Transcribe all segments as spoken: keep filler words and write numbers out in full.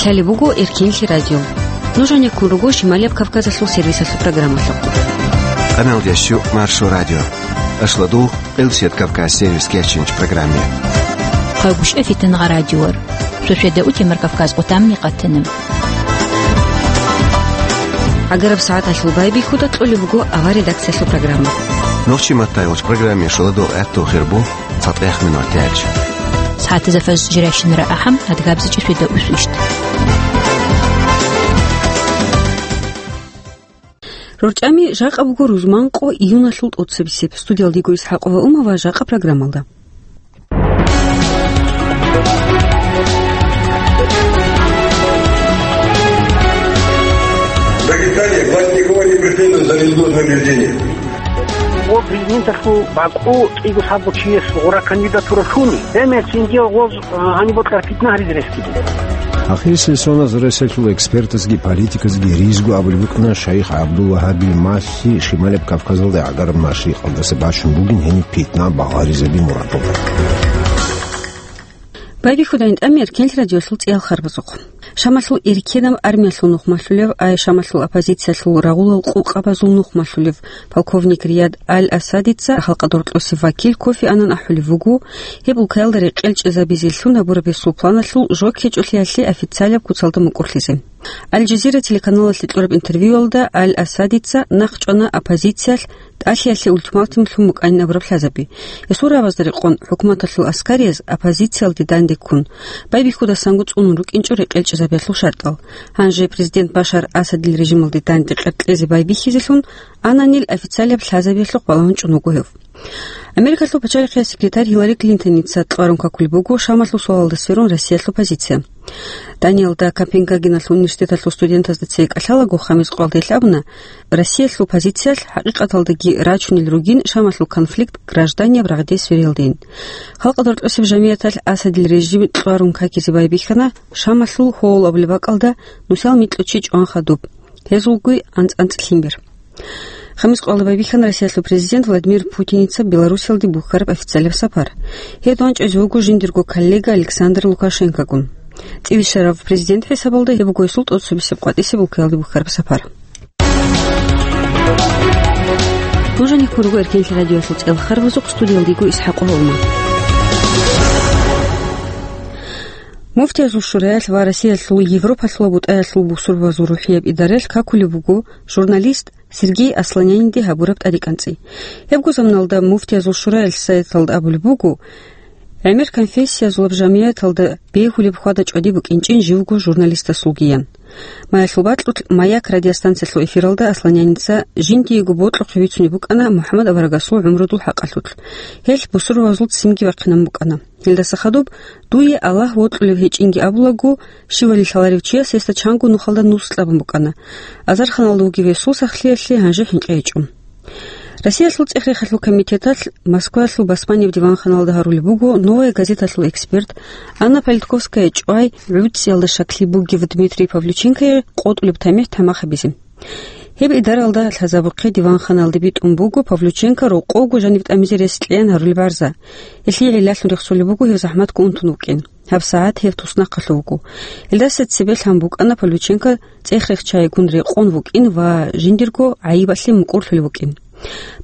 Гьале буго Эркенлъи радио. Нуж гьанеккун руго Шималияб Кавказалъул сервисалъул программалъухъ. Къамелдещу Маршо радио. Ашладул Къилсият Кавказ сервис кечинч программе. Къагушев Фитангъа радиор. Сосведа утемар Кавказ къутамни къатана. Агараб сагӀаталъул байбихьуда кьолеб буго авар редакциялъул программа. Нохчи маттайгъуч программе шуладул гӀатту хирбу. ЦатӀехъ минуталъ. СагӀатазда фажр жирайщинара ахӀам, адгабзичӀи светда усвищ. РорчӀами жакъа буго рузманкъо июналъул тӀоцебесеб. Студиялда йиго ИсхӀакъова Ума ва жакъа программалда. Дагестане власть никого не преследует за незложное убеждение. Гъо президенталъул бакӀу кӀиго лъабго чияс гъура кандидатура лъуни, гьемер цинги гъоз, а, гьаниб бокьараб питна гьаризе рес буго. Ахирисеб соналъ Россиялъул экспертазги политиказги ризго абулеб букӀана Шайх ГӀабдул-Вагьабил малъи Шималияб Кавказалда гӀагараб машрикъалдаса бачун бугин гьениб питна багъаризаби мурадалда. Байбихьудайин тӀами Эркенлъи радиолъул цӀиял харбазухъ. Шамалъул эркенаб армиялъул нухмалъулев, ай Шамалъул оппозициялъул рагъулал къукъабазул нухмалъулев полковник Рияд Аль-Асадица халкъалда рокьосев вакил Кофи Аннан ахӀулев вуго, гьеб улкаялда рекъел чӀезабизеллъун гьабураб гьесул планалъул жо ккечӀолъиялъе официалаб куцалда мукӀурлъизе. Аль-Жазира телеканалалъе кьураб интервьюялда Аль-Асадица нахъ чӀвана оппозициялъ тӀалъиялъе ультиматум лъун букӀанин абураб лъазаби. Гьесул рагӀабазда рекъон, хӀукуматалъул аскарияз оппозициялде данде ккун, байбихьудасанго цӀунун рукӀинчӀо рекъел чӀезабиялъул шартӀал. Гьанже президент Башар Асадил режималде данде къеркьезе байбихьизелъун Аннанил официалияб лъазабиялъухъ балагьун чӀун вуго гьев. Америкалъул пачалихъияс секретарь Гьиллари Клинтоница кьварун какулеб буго Шамалъул суалалда сверун Россиялъул позиция. Даниялда Копенгагеналъул университеталъул студентазда цее кӀалъалаго, Хамис къвалдейлъ абуна, Россиялъул позициялъ хӀакъикъаталдаги рачунел ругин Шамалъул конфликт гражданияб рагъде свериялдейин. Халкъалда рокьосеб жамияталъ Асадил режим кьварун какизе байбихьана Шамалъул гьол абулеб бакӀалда нусал микьучи чӀван хадуб. Гьезулгуй анцӀ-анцӀ лъимер. Хамис къвалда байбихьана Россиялъул президент Владимир Путиница Беларусиялде бухьараб официалияб сапар. Гьеб дандчӀвазе вуго жиндирго коллега Александр Лукашенкогун. ЦӀиве щварав президент хӀисабалда гьеб буго гьесул тӀоцебесеб къватӀисеб улкаялде бухьараб сапар. Нуж гьанеккун руго Эркенлъи радиоялъул цӀиял харбазухъ, студиялда йиго ИсхӀакъова Ума. Муфтиязул шураялъ ва Россиялъул Европалъул БутӀаялъул бусурбабазул рухӀияб идараялъ какулеб буго журналист Сергей Асланянинде гьабураб тӀадекӀанцӀи. Гьебго заманалда Муфтиязул шураялъ сайталда абулеб буго, гӀемер конфессиязулаб жамияталда бегьулеб хьвада-чӀвади букӀинчӀин живго журналистасулгиян. Маялъул бакьулъ «Маяк» радиостанциялъул эфиралда Асланянинца жиндиего бокьухъе бицунеб букӀана МухӀаммад аварагасул гӀумрудул хӀакъалъулъ. Гьелъ бусурбабазул ццинги бахъинабун букӀана. Гьелдаса хадуб, дуе Аллагь вокьулев гьечӀинги абулаго, щивали лъаларев чияс гьесда чанго нухалда нус кьабун букӀана. Азарханалда вугев гьесул сахлъиялъе гьанже хӀинкъи гьечӀо. Россиялъул цӀех-рехалъул комитеталъ Москваялъул басманиб диванханалда гьарулеб буго «Новая газеталъул» эксперт, Анна Политковская чӀвай гӀуцӀиялда щаклъи бугев Дмитрий Павлюченкое къотӀулеб тамихӀ тамахабизе. Гьеб идаралда лъазабухъе диванханалде битӀун буго Павлюченко рокъовго жаниб тӀамизе рес кьеян гьарулеб гӀарза. Гьелъие гӀиллалъун рехсолеб буго гьев захӀматго унтун вукӀин. ГьабсагӀат гьев туснахъалъув вуго. Гьелдаса цебе лъан букӀана Павлюченко цӀех-рех чайгун рекъон вукӀин ва жиндирго гӀайибалъе мукӀурлъулев вукӀин.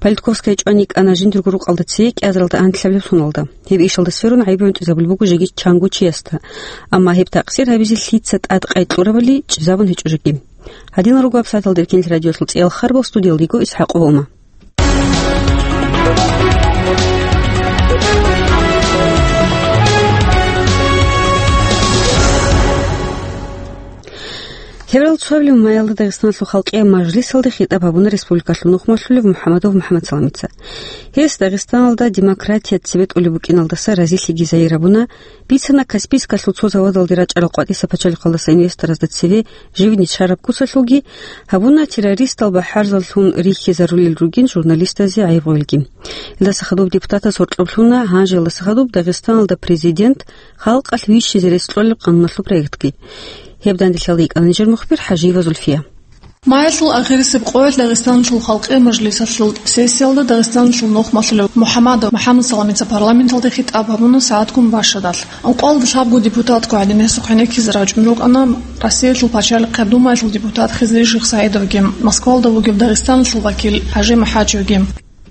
Политковская чӀван йикӀана жиндирго рукъалда цее кӀиазаралда анлъабилеб соналда. Гьеб ишалда сверун гӀайиб гӀунтӀизабулеб буго жеги чанго чиясда. Амма гьеб такъсир гьабизе лъица тӀадкъай кьурабали чӀезабун гьечӀо жеги. Гьадинал руго гьабсагӀаталда Эркенлъи радиоялъул цӀиял харбал, студиялда йиго ИсхӀакъова Ума. Февраль цоабилеб маялда Дагъистаналъул халкъияб мажлисалде хитӀаб гьабуна республикалъул нухмалъулев МухӀамадов МухӀамадсаламица. Гьес Дагъистаналда демократия цебетӀулеб букӀиналдаса разилъиги загьир гьабуна, бицана Каспийскалъул цо заводалде рачӀарал къватӀиса пачалихъалдаса инвесторазда цеве живни чараб куцалъулги, гьабуна террористал бахӀарзаллъун рихьизарулел ругин журналистазе гӀайиб гъуелги. Илдаса хадуб депутатас гьоркьоб лъуна, гьанже илдаса хадуб Дагъистаналда президент халкъалъ вищизе рес кьолеб къануналъул проектги. Гьеб данделъалда йикӀана нижер мухбир ХӀажиева Зульфия. Маялъул ахирисеб къоялъ Дагъистаналъул халкъи мажлисалъул сессиялда Дагъистаналъул нухмалъулев МухӀамадов МухӀамад Саламица парламенталде хитӀаб гьабуна сагӀатгун башадалъ. Ункъоялда лъабго депутатго гӀадин гьесухъ гӀенеккизе рачӀун рукӀана Россиялъул пачалихъе Думаялъул депутат Хизри Шихсаидовги, Москвалда вугев Дагъистаналъул вакил ХӀажи МахӀачевги.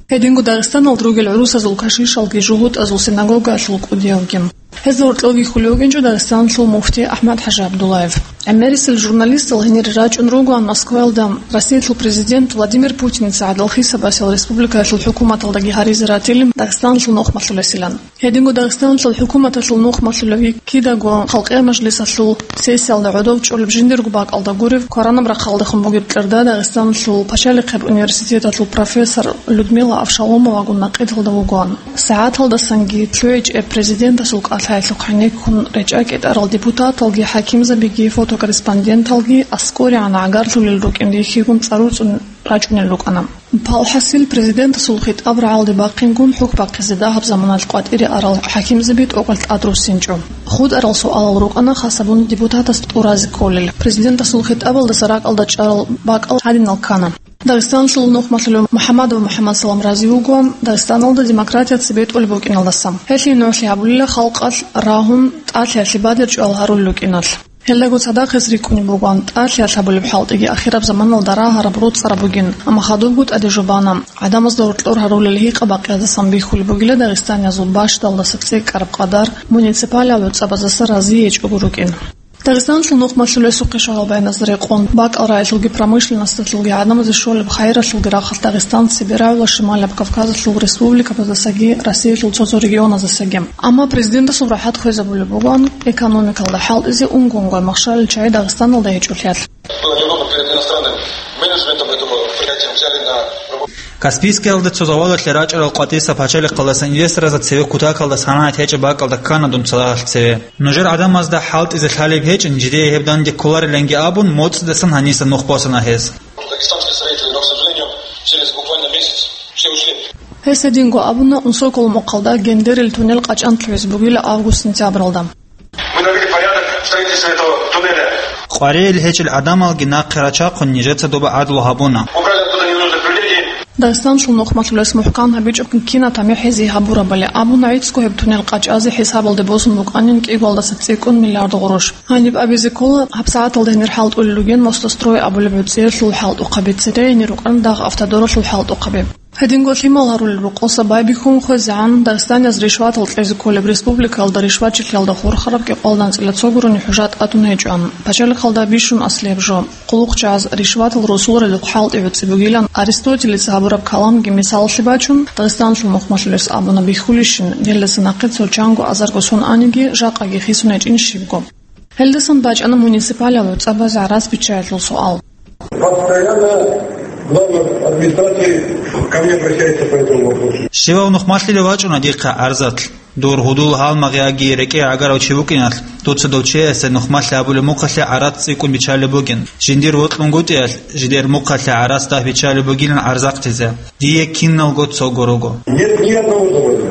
Гьединго Дагъистаналда ругел гӀурусазул кашишалги жугьутӀазул синагогаялъул кӀудиявги. Гьезда гьоркьоги хьулев вукӀинчӀо Дагъистаналъул муфти АхӀмад ХӀажи ГӀабдуллаев. ГӀемерисел журналистал гьенире рачӀун ругоан Москваялда Россиялъул президент Владимир Путиница гӀадал хисабасел республикаялъул хӀукуматалдаги гьаризе ратилин Дагъистаналъул нухмалъулесилан. Гьединго Дагъистаналъул хӀукуматалъул нухмалъулевги кидаго халкъи мажлисалъул сессиялда гӀодов чӀолеб жиндирго бакӀалда гуреб кваранаб рахъалдехун бугеб кьерда Дагъистаналъул пачалихъеб университеталъул профессор Людмила Авшаломовагун накъидалда вугоан. СагӀаталдасанги лъугӀичӀеб президентасул кӀалъаялъухъ гӀенеккун речӀа кӀетӀарал депутаталги, хӀакимзабиги, фотокорреспонденталги аскӀорегӀан гӀагарлъулел рукӀин рихьигун цӀаруцӀун рачӀунел рукӀана. Палхасил президентасул хитӀаб рагӀалде бахъингун хӀухь бахъизе дагьаб заманалъ къватӀире арал хӀакимзаби тӀокӀалъ тӀадруссинчӀо. ХутӀарал суалал рукӀана хасабун депутатас тӀуразе кколел. Президентасул хитӀабалдаса ракӀалда чӀарал бакӀал гьадинал ккана. Дагъистаналъул нухмалъулев МухӀамадов МухӀамад Салам рази вуго Дагъистаналда демократия цебетӀулеб букӀиналдаса. Гьелъие нугӀлъи гьабулила халкъалъ рагьун, тӀалъиялъе бадер чӀвал гьарулел рукӀиналъ. Гьелдаго цадахъ гьес рикӀкӀунеб бугоан тӀалъиялъ гьабулеб хӀалтӀиги ахираб заманалда рагьараб, роцӀараб бугин, амма хадубго тӀаде жубана. ГӀадамазда гьоркьор гьарулел гьикъа-бакъиялдасан бихьулеб бугила дагъистаниязул бащдалдаса цӀикӀкӀараб къадар муниципалияб гӀуцӀабаздаса рази гьечӀого рукӀин. Дагъистаналъул нухмалъулесухъе шагьарбаяназда рекъон, бакӀал рагӀилъулги промышленносталъулги гӀадамазе щолеб хайиралъулги рахъалъ Дагъистан цебе рагӀула Шималаб Кавказалъул республикабаздасаги Россиялъул цо-цо регионаздасаги. Амма президентасул рахӀат хвезабулеб бугоан экономикалда хӀалтӀизе унго-унгояб махщалил чагӀи Дагъистаналда гьечӀолъиялъ. Каспийскиялда цо заводалъе рачӀарал къватӀиса пачалихъалдасан инвесторзда цеве кутакалда санагӀат гьечӀеб бакӀалда ккана дун цадахъ цеве. Нужер гӀадамазда хӀалтӀизе лъалеб гьечӀин, жидее гьеб данде кколариланги абун, моцӀидасан гьаниса нух босана гьез. Дагестанские строители, но, к сожалению, через буквально месяц все ушли. Гьес гьединго абуна, унсокол мухъалда Гендерил туннел къачӀан лъугӀизе бугила август-сентябралда. Мы навели порядок в строительстве этого туннеля. Къваригьел гьечӀел гӀадамалги нахъе рачахъун нижеца доба гӀадлу гьабуна. Убрали оттуда ненужных людей. Дагъистаналъул нухмалъулес мухӀкан гьабичӀо кинаб тамихӀ гьезие гьабурабали абуна, гӀицӀго гьеб туннел къачӀазе хӀисабалде босун букӀанин кӀиголдаса цӀикӀкӀун миллиард гъурущ. Гьаниб абизе ккола, гьабсагӀаталда гьенир хӀалтӀулел ругин Мостострой абулеб гӀуцӀиялъул хӀалтӀухъаби, цере гьенир рукӀана дагъ автодоралъул хӀалтӀухъаби. Гьединго лъимал гьарулел рокъоса байбихьун хвезегӀан, дагъистанияз ришватал кьезе кколеб республикаялда ришватчилъиялда хурхараб кӀикъоялда анцӀила цо гурони хӀужа тӀадун гьечӀоан. Пачалихъалда бищун аслияб жо. КъулухъчагӀаз ришватал росуларелухъ хӀалтӀи гӀуцӀи бугилан Аристотелица гьабураб каламги мисалалъе бачун, Дагъистаналъул нухмалъулес абуна бихьулищин, гьелдаса нахъе цо чанго азарго сон аниги, жакъаги хисун гьечӀин щибго. Гьелдасан бачӀана муниципалияб гӀуцӀабазе гӀарац биччаялъул суал. Постоянно глава администрации ко мне обращается по этому вопросу. Щивав нухмалъулев вачӀуна дихъа гӀарзалъ. Дур гьудул-гьалмагъ яги рекӀее гӀагарав чи вукӀиналъ, дуца дов чиясе нухмалъи абулеб мухъалъе гӀарац цӀикӀкӀун биччалеб бугин. Жиндир вокьунгутӀиялъ, жидер мухъалъе гӀарац дагь биччалеб бугилан гӀарзахъизе. Дие киналго цого руго. Нет ни одного завода.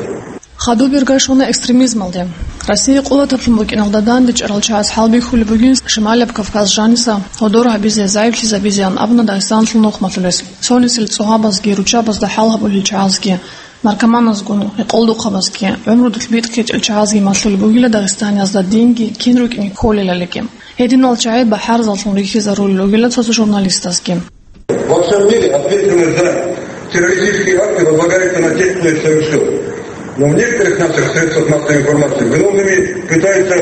Хадуб ирга щвана экстремизмалде. Россия къулатаблъун букӀиналда дандечӀарал чагӀаз хӀалбихьулеб бугин Шималаб Кавказ жаниса гьодор гьабизе, загӀиплъизабизеян абуна Дагъистаналъул нухмалъулес. Цонисел цӀогьабазги, руччабазда хӀал гьабулел чагӀазги, наркоманазгун, гӀикъулдухъабазги, гӀумрудулъ битӀкьичӀел чагӀазги малъулеб бугила дагъистаниязда динги кин рукӀине кколелалиги. Гьединал чагӀи бахӀарзаллъун рихьизарулел ругила цо-цо журналистазги. Во всем мире ответственность за террористические акты возлагается на тех, кто их совершил. Но в некоторых наших средствах массовой информации виновными пытаются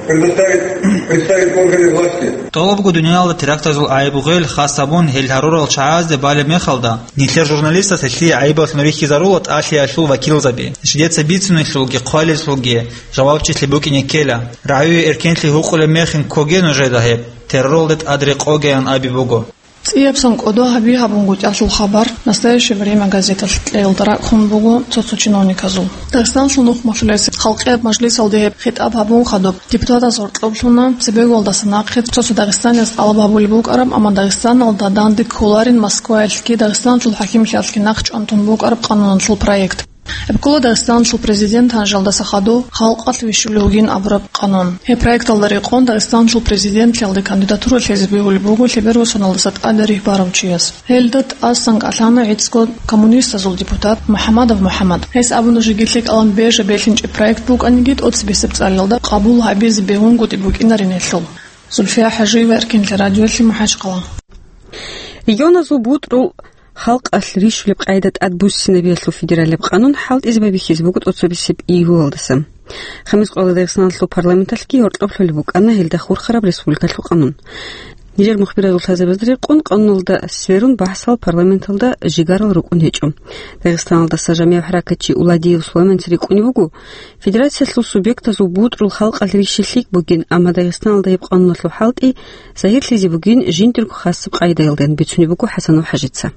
предоставить, представить органы власти. ТӀолабго дуниялда терактазул гӀайиб гъел хас гьабун гьел гьарурал чагӀазде балеб мехалда, нилъер журналистаз гьелъие гӀайибаллъун рихьизарула тӀалъиялъул вакилзаби. Жидеца бицунелъулги хъвалелъулги жавабчилъи букӀине ккела. РагӀуе эркенлъи гьукъулеб мехин ккоге нужеда гьеб, терроралде тӀад рекъогеян аби буго. ЦӀияб сон кӀодо гьаби гьабунгутӀиялъул хабар «Настоящее время» газеталъ кьеялда ракӀ хун буго цо-цо чиновниказул. Дагъистаналъул нухмалъулес халкъияб мажлисалде гьеб хитӀаб гьабун хадуб, депутатаз гьоркьоблъуна цебеголдаса нахъе цо-цо Дагъистанияз тӀалаб гьабулеб букӀараб, амма Дагъистаналда данде кколарин Москваялъги Дагъистаналъул хӀакимлъиялъги нахъчӀван тун букӀараб къануналъул проект. Гьеб ккола Дагъистаналъул президент гьанжалдаса хадув халкъалъ вищулев вугин абураб къанун. Гьеб проекталда рекъон Дагъистаналъул президентлъиялде кандидатура лъезе бегьулеб буго лъебералдаса тӀаде ригь барав чияс. Гьелда тӀасан кӀалъана гӀицӀго коммунистазул депутат МухӀамадов МухӀамад. Гьес абуна, жеги лъикӀалан бержа белъинчӀеб проект букӀаниги, тӀоцебесеб цӀалиялда къабул гьабизе бегьунгутӀи букӀинарин гьелъул. Зульфия ХӀажиева, Эркинлъи радиолъи, МахӀачхъала. Регионазул бутӀрул халкъалъ рищулеб къайда тӀадбуссинабиялъул федералияб къанун хӀалтӀизе байбихьизе буго тӀоцебесеб июлалдаса. Хамис къоялда Дагъистаналъул парламенталъги гьоркьоб лъолеб букӀана гьелда хурхараб республикалъул къанун. Нижер мухбирал лъазабазда рекъон къануналда сверун бахӀсал парламенталда жигарал рукӀун гьечӀо. Дагъистаналдаса жамигӀ хӀаракатчи Уладиев Сулайманца рикӀкӀунеб буго, федерациялъул субъектазул бутӀрул халкъалъ рищи лъикӀ бугин, амма Дагъистаналда гьеб къануналъул хӀалтӀи загьирлъизе бугин жиндирго хасаб къайдаялдаян, бицунеб буго ХӀасанов ХӀажица.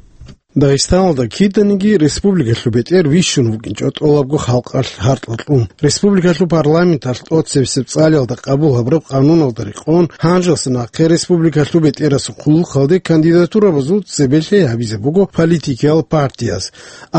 Дагъистаналда киданиги республикалъул бетӀер вищун вукӀинчӀо тӀолабго халкъалъ гьартӀал кьун. Республикалъул парламенталъ тӀоцебесеб цӀалиялда къабул гьабураб къануналда рекъон, гьанжеялъ нахъе республикалъул бетӀерасул хъулухъалде кандидатурабазул цебе лъей гьабизе буго политикиял партияз,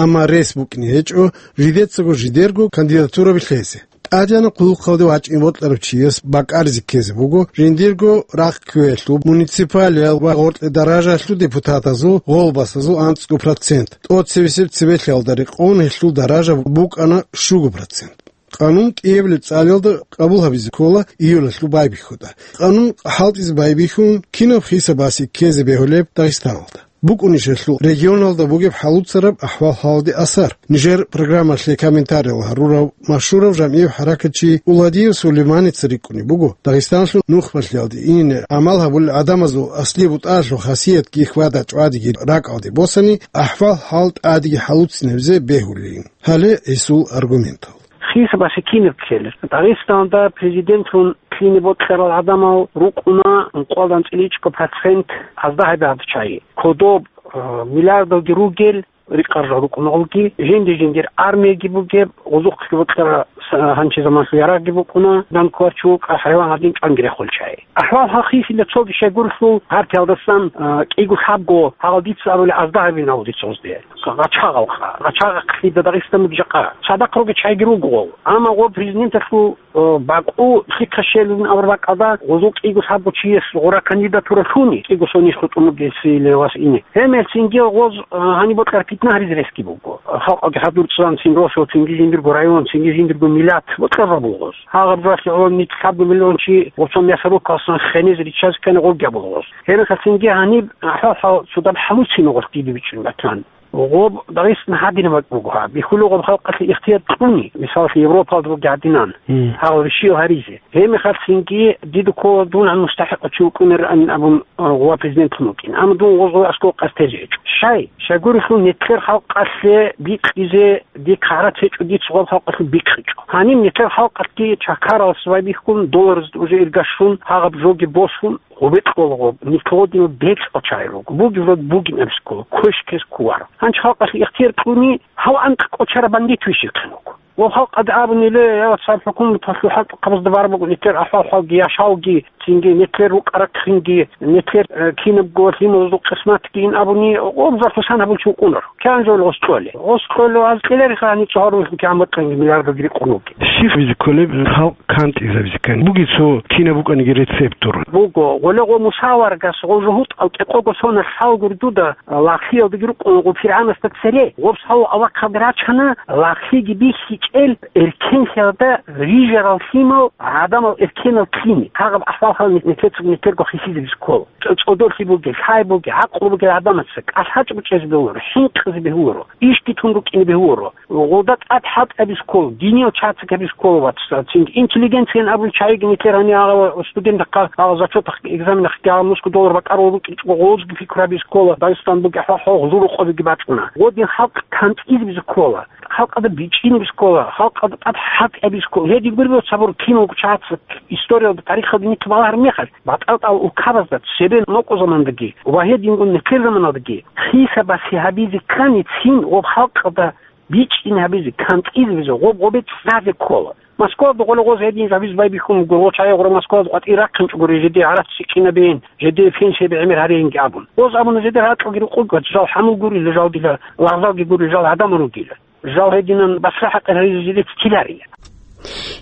амма рес букӀине гьечӀо жидецаго жидерго кандидатураби лъезе. ТӀадегӀанаб хъулухъалде вачӀине бокьарав чияс бакӀаризе ккезе буго жиндирго рахъ кквеялъул, муниципалиял ва гъоркье даражаялъул депутатазул гъолбасазул анцӀго процент. ТӀоцебесеб цебе лъеялда рекъон гьелъул даража букӀана щуго процент. Къанун кӀиабилеб цӀалиялда къабул гьабизе ккола июлалъул байбихьуда. Къанун хӀалтӀизе байбихьун, кинаб хисабасе ккезе бегьулеб Дагъистаналда? БукӀунищ гьелъул регионалда бугеб хӀалуцараб ахӀвал-хӀалалде асар? Нижер программалъе комментариял гьарурав машгьурав жамигӀ хӀаракатчи Уладиев Сулейманица рикӀкӀунеб буго, Дагъистаналъул нухбалъиялде ине гӀамал гьабулел гӀадамазул аслияб бутӀаялъул хасиятги хьвада-чӀвадиги ракӀалде босани, ахӀвал-хӀал тӀадеги хӀалуцинабизе бегьулин. Гьале гьесул аргументал. Хисабасе кинаб ккелеб? Дагъистаналда президентлъун лъине бокьарал гӀадамал рукӀуна ункъоялда анцӀила ичӀго процент, азда гьаб гьаб чагӀи. Кодоб, э, миллиардалги ругел, рикъарал рукӀуна гъолги, жинди-жиндир армияги бугеб, гъозухъги бокьарал с-, гьанчи заманалъул ярагъги букӀуна, данкулачу кӀал хӀайван гьадин чӀванги рехул чагӀи. АхӀвал-хӀал хисилеб цоги щайгурелъул, гьартиялдасан, а, кӀиго-лъабго гьагъал дица абулеб азда гьабин гьавулде цоздеян. Гъачагъалха, гъачагъахълъида Дагъистаналдаги жакъа. Цадахъ ругел чагӀиги руго гъол. Амма гъо президенталъул, а, бакӀу лъихъа щелин абураб бакӀалда гъозул кӀиго-лъабго чияс гъура кандидатура лъуни, кӀиго сонищ хутӀун бугесиле вас ине. Гьемел цинги гъоз, а, гьаниб бокьараб питна гьаризе ресги буго. Халкъалги хадур цӀан цин росо, цинги жиндирго район, цинги жиндирго миллат бокьараб буго гъоз. Гьагъаб жоялъе гӀоло нилъ лъабго миллион чи гъоцо мясорубкалъан хенез риччазе ккани гъоркьа буго гъоз. Гьебмехалъ цинги гьаниб ахӀвал-хӀал цо даб хӀалуцин гъоркь дида бичӀчӀун батан. Гъоб Дагъистан гьадинаб бакӀ буго гьаб. Бихьулев гъоб халкъалъе ихтияр кьуни, мисалалъе, Европалда буго гьадинан, Мгм. гьал ришил гьаризе. Гьебмехалъ цинги дида ккола дун гьан мустахӀикъав чи вукӀунарин абун, а, гъова президентлъун вукӀин. Амма дун гъозго аскӀов къастерчӀо. Щай? Щайгурелъул нилъер халкъалъе бикъизе дихъ гӀарац гьечӀо, дица гъоб халкъалъе бикъичӀо. Гьаниб нилъер халкъалъги чакаралъ байбихьун, доллараз уже иргашун, гьагъаб жоги босун, гъубекь гъолгъоб, нилъ гъодинал бекьал чагӀи руго. Бугеб род бугин абизе ккола, квеш ккезе кколаро. Гьанчи халкъалъе ихтияр кьуни, гьав анкь кӀочараб бандит вищилхъин вуго. Ва халкъалда абунила, я вацал, хӀукуматалъул хӀалтӀухъабазда бараб буго нилъер ахӀвал-хӀалги, яшавги, цинги нилъер рукӀа-рахъинги, нилъер, э, кинабго лъималазул къисматги ин абуни, гъоб зарфусан гьабулчи вукӀунаро. КигӀан жо гъос кьолеб? Гъос кьолев аз кьелариха гьаниб цо гьаруллъун кигӀан бокьанги миллиардалги рикъун вугеб. Щиб гьабизе кколеб халкъ кантӀизабизе ккани? Бугеб цо кинаб букӀаниги рецепт гуро. Буго, гъоле гъо мусаваргас гъо жугьутӀал кӀикъого сонал лъалгур дуда, лагълъиялдаги рукъун гъо ПиргӀанасда цере. Гъоб лъалу авахъалда рачана, лагълъиги бихьичӀел эркенлъиялда рижарал лъимал, гӀадамал эркенал лъими. Гьагъаб ахӀвал-хӀал нилъецаго нилъерго хисизабизе ккола. ЦӀодорлъи бугел, лъай бугел, гӀакълу бугел гӀадамаца кӀалъачӀго чӀезе бегьуларо, хӀинкъизе бегьуларо, ишги тун рукӀине бегьуларо. Гъолда тӀад хӀалтӀи гьабизе ккола, диниял чагӀи гьабизе ккола, вацал, цинги интеллигенциян абулел чагӀиги нилъер гьанир гьагъал студентахъа, гьагъал зачетахъ, экзаменахъ гьагъал нусго доллар бакӀарал рукӀинчӀого гъозги пикру гьабизе ккола, Дагъистан бугеб хӀал гъолъул рокъобиги бачӀуна. Гъодин халкъ кантӀизабизе ккола. Халкъалда бичӀчӀинабизе ккола, халкъалда тӀад хӀалтӀи гьабизе ккола. Гьедин гуреб, цабур киналго чагӀаца историялда, тарихалда нилъ балагьараб мехалъ, батӀал-тӀал улкабазда цебе нокъо замандагьги ва гьединго нилъер заманалдагьги хисабасе гьабизе ккани цин гъоб халкъалда бичӀчӀине гьабизе, кантӀизабизе, гъоб-гъобе цӀазе ккола. Москвада гъоле гъоз гьедин жо гьабизе байбихьун буго, гъо чагӀи гъура Москвада къватӀир рахъинчӀого гури, жеде гӀарац чӀинабейин, жеде пенсияби гӀемер гьарейинги абун. Гъоз абуна, жеде гьаракьалги рукъугат, жал хӀамул гури, жал дила лагъзалги гури, жал гӀадамал ругила. Жал гьединан башха хӀакъир гьаризеги ккеларила.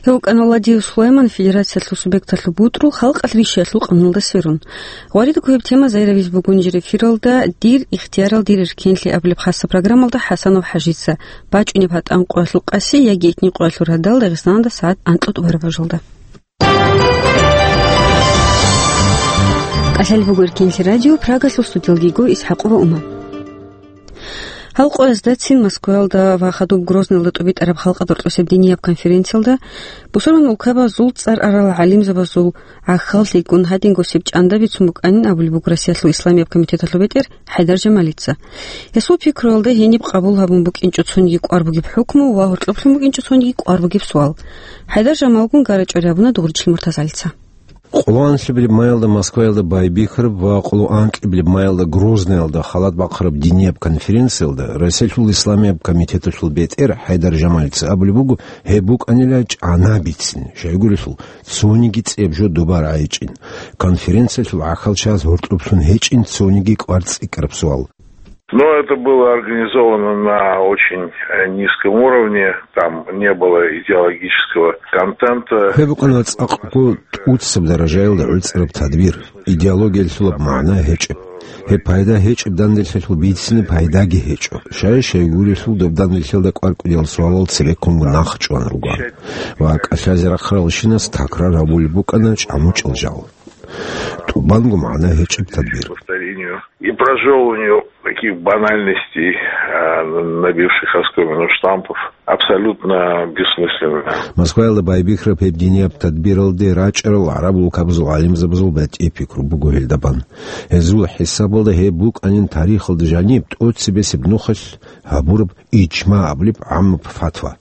Гьев вукӀана Ладиев Сулайман, федерациялъул субъекталъул бутӀрул халкъалъ ришиялъул къануналда сверун. Гъваридго гьеб тема зайравизе буго нижер эфиралда «Дир ихтиярал, дир эркенлъи» абулеб хасаб программалда ХӀасанов ХӀажица, бачӀунеб гьатӀан къоялъул къаси яги итни къоялъул радал Дагъистаналда сагӀат анкьа тӀубараб бажалда. КӀалъалеб буго Эркенлъи радио, Прагалъул студиялги йиго ИсхӀакъова Ума. Гьал къоязда цин Москваялда ва хадуб Грозныйалда тӀубитӀараб халкъалъул росеб динияб конференциялда бусурман улкабазул цӀар арал гӀалимзабазул гӀахьаллъи гун гьадинго сиб чӀанда бицун букӀанин абулеб буго Россиялъул Исламияб комитеталъул бетӀер ХӀайдар Жамалица. Гьесул пикруялда гьениб къабул гьабун букӀинчӀо цониги кӀвар бугеб хӀукму ва гьоркьоблъун букӀинчӀо цониги кӀвар бугеб суал. ХӀайдар Жамалгун гара-чӀвари гьабуна Дугъричил Муртазалица. Къоло анлъабилеб маялда Москваялда байбихьараб ва къоло анкьабилеб маялда Грозныйалда халат бахъараб динияб конференциялда Россиялъул Исламияб комитеталъул бетӀер ХӀайдар Жамалица абулеб буго, гьеб букӀанила чӀана бицин, щайгурелъул, цониги цӀеб жо доба рагӀичӀин. Конференциялъул гӀахьалчияз гьоркьоблъун гьечӀин цониги кӀвар цӀикӀкӀараб суал. Но это было организовано на очень, э, низком уровне, там не было идеологического контента. Гьеб букӀана цӀакъго тӀуцаб даражаялда гӀуцӀараб тадбир, идеологиялъулаб магӀна гьечӀеб. Гьеб пайда гьечӀеб данделъалъул бицине пайдаги гьечӀо. Щай-щайгурелъул доб данделъалда кӀвар-кӀудиял суалал цебеккунго нахъ чӀван ругоан. Ва кӀалъазе рахъаралщинас такрар гьабулеб букӀана чӀамучӀал жал. ТӀубанго магӀна гьечӀеб тадбир. Повторению и прожёвыванию таких банальностей, а, набивших оскомину штампов, абсолютно бессмысленно. Москваялда байбихьараб гьеб динияб тадбиралде рачӀарал гӀараб улкабазул гӀалимзабазул батӀи пикру буго гьелда бан. Гьезул хӀисабалда гьеб букӀанин тарихалда жаниб тӀоцебесеб нухалъ гьабураб ижма абулеб гӀаммаб фатва.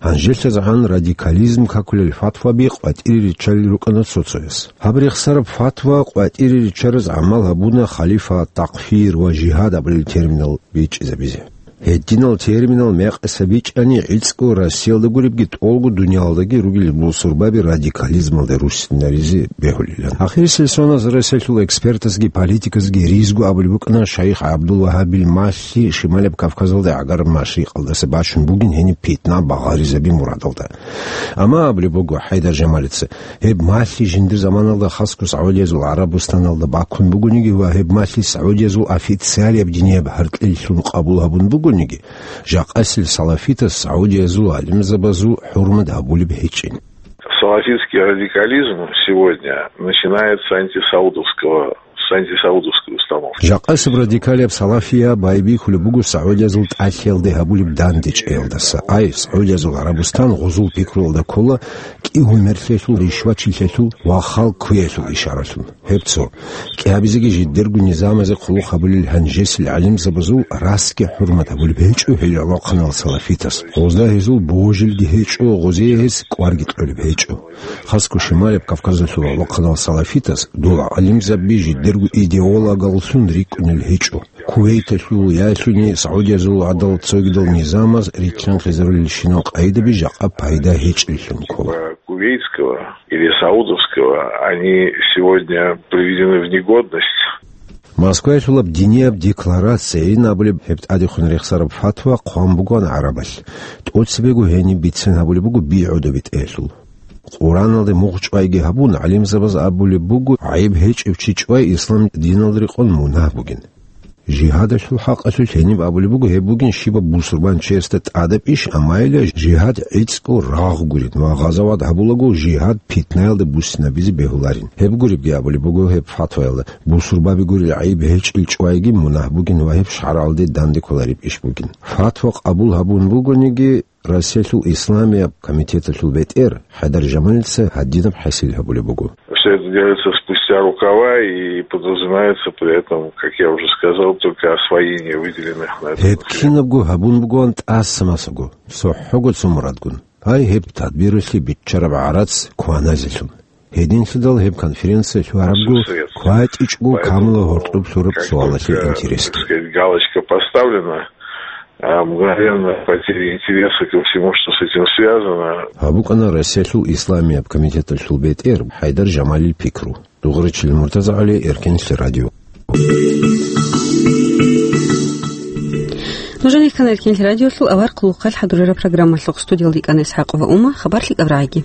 ГьанжелъазегӀан радикализм какулел фатваби къватӀире риччалел рукӀана цо-цояс. Гьаб рехсараб фатва къватӀире риччараз гӀамал гьабуна халифа, такфир ва жигьад абулел терминал бичӀчӀизабизе. Гьединал терминал мекъиса бичӀчӀани гӀицӀго Россиялда гуребги тӀолго дуниялалдаги ругел бусурбаби радикализмалде руссинаризе бегьулилан. Ахирисел соналъ Россиялъул экспертазги политиказги ризго абулеб букӀана шайх ГӀабдул-Вагьабил малъи Шималаб Кавказалда гӀагараб машрикъалдаса бачун бугин гьениб питна багъаризаби мурадалда. Амма абулеб буго ХӀайдар Жамалица, гьеб малъи жиндир заманалда хасго СагӀудиязул ГӀарабустаналда баккун бугониги ва гьеб малъи СагӀудиязул официалияб динияб гьаркьилъун къабул гьабун бугониги, жакъасел салафитас СагӀудиязул гӀалимзабазул хӀурмат гьабулеб гьечӀин. Салафитский радикализм сегодня начинается с антисаудовского, с антисаудовской установки. Жакъасеб радикалияб салафия байбихьулеб буго СагӀудиязул тӀалъиялде гьабулеб дандечӀеялдаса. Ай, СагӀудиязул ГӀарабустан гъозул пикруялда ккола кӀигьумерлъиялъул, ришвачилъиялъул ва халкъ кквеялъул ишаралъун. Гьеб цо. КӀиабизеги жидерго низамазе хъулухъ гьабулел гьанжесел гӀалимзабазул расги хӀурмат гьабулеб гьечӀо гьел гӀолохъанал салафитас. Гъозда гьезул божилги гьечӀо, гъозие гьес кӀварги кьолеб гьечӀо. Хасго Шималаб Кавказалъул гӀолохъанал салафитас дол гӀалимзаби жидерго идеологаллъун рикӀкӀунел гьечӀо. Кувейталъул яги СагӀудиязул гӀадал цогидал низамаз рилълъанхъизарулелщинал къайдаби жакъа пайда гьечӀеллъун ккола. Кувейтского или саудовского, они сегодня приведены в негодность. Москваялъулаб динияб декларацияйин абулеб гьеб тӀадехун рехсараб фатва хъван бугоан гӀарабалъ. ТӀоцебего гьениб бицен гьабулеб буго би гӀодобетӀеялъул. Къураналде мугъ чӀвайги гьабун, гӀалимзабаз абулеб буго, гӀайиб гьечӀев чи чӀвай ислам диналда рекъон мунагь бугин. Жигьадалъул хӀакъалъулъ гьениб абулеб буго, гьеб бугин щибаб бусурбанчиясда тӀадаб иш, амма гьеле жигьад гӀицӀго рагъ гурин ва гъазават гьабулаго жигьад питнаялда буссинабизе бегьуларин. Гьеб гуребги абулеб буго гьеб фатваялда, бусурбаби гурел гӀайиб гьечӀел чӀвайги мунагь бугин ва гьеб шаргӀалде данде кколареб иш бугин. Фатва къабул гьабун бугониги, Россиялъул Исламияб комитеталъул бетӀер ХӀайдар Жамалица гьадинаб хӀасил гьабулеб буго. Все это делается спустя рукава и подразумевается при этом, как я уже сказал, только освоение выделенных на это. Гьеб кинабго гьабун бугоан тӀаса-масаго, цохӀого цо мурадгун. Гьай, гьеб тадбиралъе биччараб гӀарац кваназелъун. Гьединлъидал гьеб конференция лъугьарабго кватӀичӀго камула гьоркьоб лъураб суалалъе интересги. Как только, так сказать, галочка поставлена, а, мгновенно потеря интереса ко всему, что с этим связано. Гьаб букӀана Россиялъул Исламияб комитеталъул бетӀер ХӀайдар Жамалил пикру. Дугъричил Муртазагьали, Эркенлъи радио. Нужеца ккана Эркенлъи радиолъул авар хъулухъалъ хӀадурараб программалъухъ. Студиялда йикӀана ИсхӀакъова Ума, хабар лъикӀаб рагӀиги.